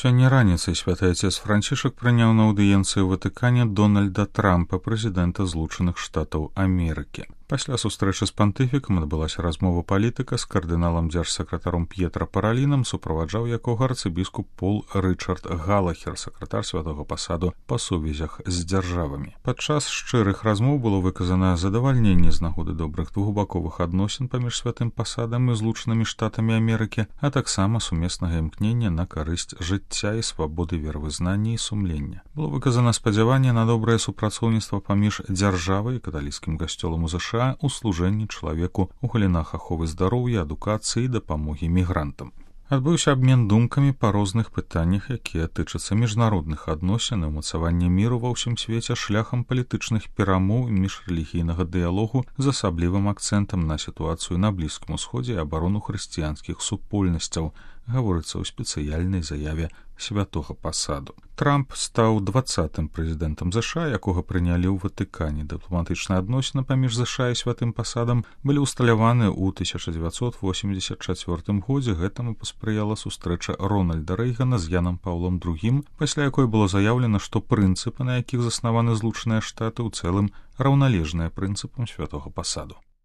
Сёння раніцай святы отец Францішак прыняў на аўдыенцыі ў Ватыкане Дональда Трампа, прэзідэнта Злучаных Штатаў Амерыкі. Пасля сустрэчы з пантыфікам адбылася размова палітыка з кардыналам дзяржсакратаром П'етра Паралінам, суправаджаў якога арцыбіскуп Пол Рычард Галахер, сакратар святога пасаду па сувязях з дзяржавамі. Падчас шчырых размоў было выказана задавальненне з нагоды добрых двухбаковых адносін паміж святым пасадам і Злучанымі Штатамі Амерыкі, а таксама сумеснага імкнення на карысць жыцця і свабоды веравызнання і сумлення. Было выказана спадзяванне на добрае супрацоўніцтва паміж дзяржавай і каталіцкім касцёлам у США у служэнні чалавеку ў галінах аховы здароўя, адукацыі і дапамогі мігрантам. Адбыўся абмен думкамі па розных пытаннях, якія тычацца міжнародных адносін і ўмацавання міру ва ўсім свеце шляхам палітычных перамоў і міжрэлігійнага дыялогу з асаблівым акцэнтам на сітуацыю на Блізкім Усходзе і абарону хрысціянскіх супольнасцяў, гаворыцца ў спецыяльнай заяве святога пасаду. Трамп стаў 20-м прэзідэнтам ЗША, якога прынялі ў Ватыкане. Дыпламатычныя адносіны паміж ЗША і святым пасадам былі ўсталяваны ў 1984 годзе. Гэтаму паспрыяла сустрэча Рональда Рэйгана з Янам Паўлом II, пасля якой было заяўлена, што прынцыпы, на якіх заснаваны Злучаныя Штаты, у цэлым раўналежныя прынцыпам святога пасаду.